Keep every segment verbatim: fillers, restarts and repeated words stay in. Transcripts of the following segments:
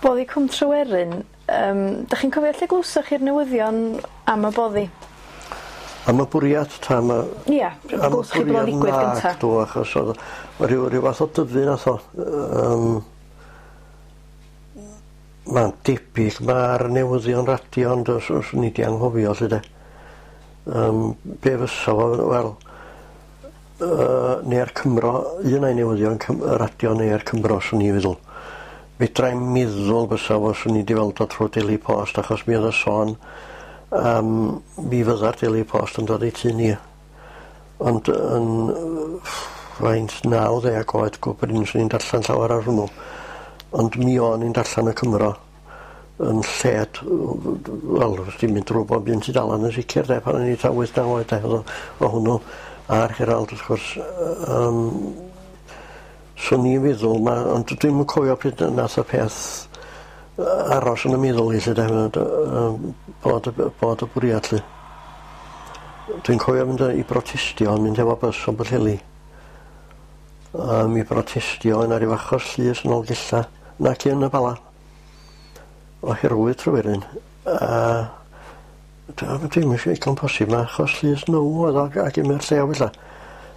Boddi Cwm Tryweryn, um, da chi'n cofio lle glwsoch chi'r newyddion am y boddi? Am y bwriad ta am y... Ia, glwsoch chi bod o'n ddigwydd gynta? Nac do, achos oedd rhyw, rhyw fath o dyfu nath o. Um, Mae'n debyg ma'r newyddion radio, ond os, os ni di anghofio lly de. Um, be fysa fo, wel, uh, neu'r Cymro, un o'i newyddion Cym, radio neu'r Cymro, swn i'n feddwl. Fedra i'm meddwl fysa fo, swn i di weld o trwy Daily Post, achos mi oedd y sôn um, mi fydda'r Daily Post yn dod i tŷ ni. Ond yn faint naw ddeg oed go brin swn i'n darllen llawer ar hwnnw. Ond mi o'n i'n darllen y Cymro yn lled, wel, ti'n mynd drwy bob un tudalan yn sicr, de, pan o'n i ta wyth naw oed, de, oedd o hwnnw a'r Herald, wrth gwrs. Um, swn i'n feddwl, ma, ond dwi'm yn cofio pryd nath y peth aros yn y meddwl i, lle, de, bod, bod y bwriad, lle. Dwi'n cofio mynd i brotestio, mynd efo bys o Bwllheli. Um, i brotestio yna ryw achos llys yn Nolgella, nac yn y Bala, oherwydd Tryweryn. A dwi'm eisiau digon posib, mae achos llys nhw oedd o ac i'r llew felly.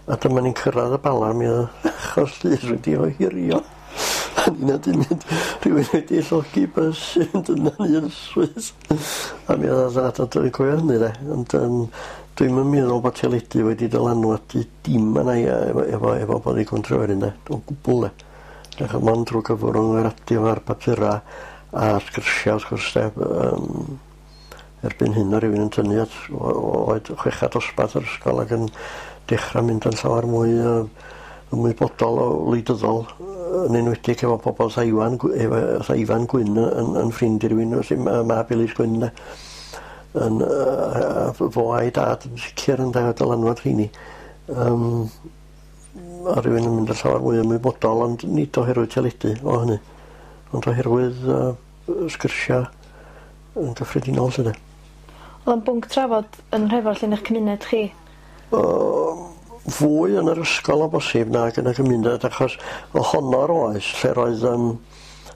A dyma ni'n cyrraedd y Bala, mi oedd achos llys wedi ohirio. A ni'n wedi mynd, rhywun wedi llogi bys i fynd yna'n un swydd. A mi oedd o, dwi'n cofio hynny de. Ond um, dwi'm yn meddwl bod teledu wedi dylanwadu dim yna i efo, efo, efo boddi Cwm Tryweryn de, o gwbl de. Achos mond drwy gyfrwng y radio a'r papura a'r sgyrsiau wrth gwrs de. Um, erbyn hyn o rywun yn tynnu at oed chweched dosbarth yr ysgol ac yn dechrau mynd yn llawer mwy uh, ymwybodol o wleidyddol, yn enwedig efo pobl fatha Iwan, efo fatha Ifan Gwyn yn, yn ffrind i rywun, felly mab Elis Gwyn de. Yn, uh, fo a'i dad yn sicr yn de, dylanwad rheini. Um, a rywun yn mynd yn llawer mwy ymwybodol, ond nid oherwydd teledu o hynny, ond oherwydd uh, sgyrsiau yn gyffredinol lly de. Oedd o'n bwnc trafod yn Nhrefor lle yn eich cymuned chi? Uh, fwy yn yr ysgol o bosib nag yn y gymuned, achos ohono'r oes lle roedd um,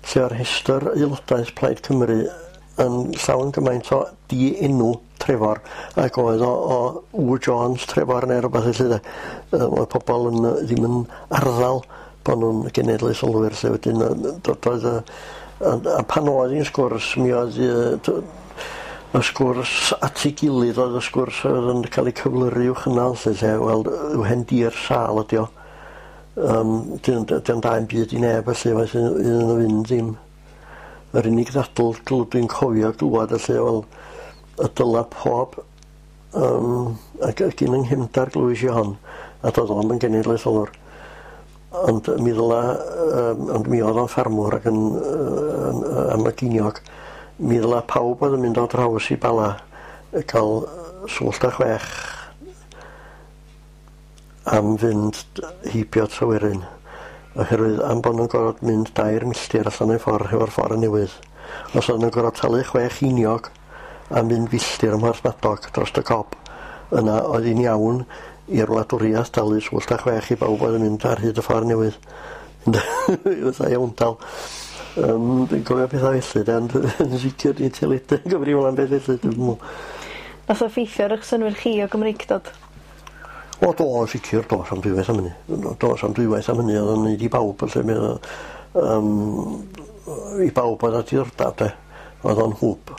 lle o'r rhestr aelodaeth Plaid Cymru yn llawn gymaint o di-enw Trefor ac oedd o, o W Jones Trefor neu rhywbeth felly de. Um, oedd pobl yn, ddim yn arddel bod nhw'n genedlaetholwyr lle wedyn doedd y, a, a pan oedd hi'n sgwrs mi oedd y, y sgwrs at ei gilydd oedd y sgwrs oedd yn cael ei cyflyru i'w chynnal lle, lle wel, yw hen dir sâl ydi o. Um, Dio'n da yn byd i neb felly, faith iddyn nhw fynd ddim. Yr unig ddadl dwi'n cofio glwad felly, wel, y dyla pob um, ac ac un yng nghefndar glwys i hon, a doedd o'm yn genedlaetholwr. Ond mi ddyla, um, ond mi oedd o'n ffarmwr ac yn, yn, yn am y giniog, mi ddyla pawb oedd yn mynd o draws i Bala cael swllt a chwech am fynd heibio Tryweryn, oherwydd am bod nhw'n gorfod mynd dair milltir allan o'i ffordd hefo'r ffordd newydd. Os oedden nhw'n gorfod talu chwech einiog am fynd filltir ym Mhorthmadog dros y Cob, yna oedd hi'n iawn i'r wladwriaeth dalu swllt a chwech i bawb oedd yn mynd ar hyd y ffordd newydd. Fatha iawndal. Um, dwi'n cofio pethau felly, de, ond yn sicr ni teledu yn gyfrifol am beth felly, dwi'n meddwl. Nath o effeithio ar eich synnwyr chi o Gymreictod? O, do, yn sicr, do, sam dwywaith am hynny. Do, sam dwywaith am hynny, oedd o'n neud i bawb, felly, mi oedd, um, i bawb oedd â diddordeb, de, oedd o'n hwb.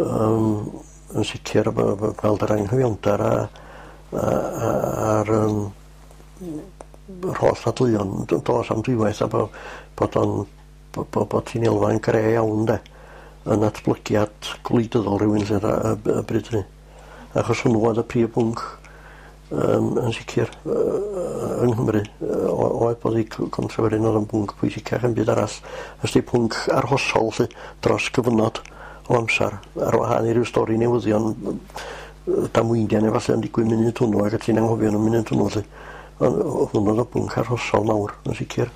Um, yn sicr, gweld yr anghyfiawnder a, a, a, a'r um, yr holl ddadleuon, do, sam dwywaith, a bod, bod o'n bod, bod ti'n elfa'n gre iawn de, yn atblygiad gwleidyddol rhywun lle y, y bryd hynny. Achos hwnnw oedd y prif bwnc um, yn sicr uh, yng Nghymru. Uh, oedd bod i Cwm Tryweryn oedd yn bwnc pwysicach yn byd arall. Ys di pwnc arhosol lle, dros gyfnod o amser, ar wahân i ryw stori newyddion damweiniau neu falle yn digwydd munud hwnnw ac ti'n anghofio nhw munud hwnnw lle. Ond hwnnw oedd y bwnc arhosol mawr yn sicr.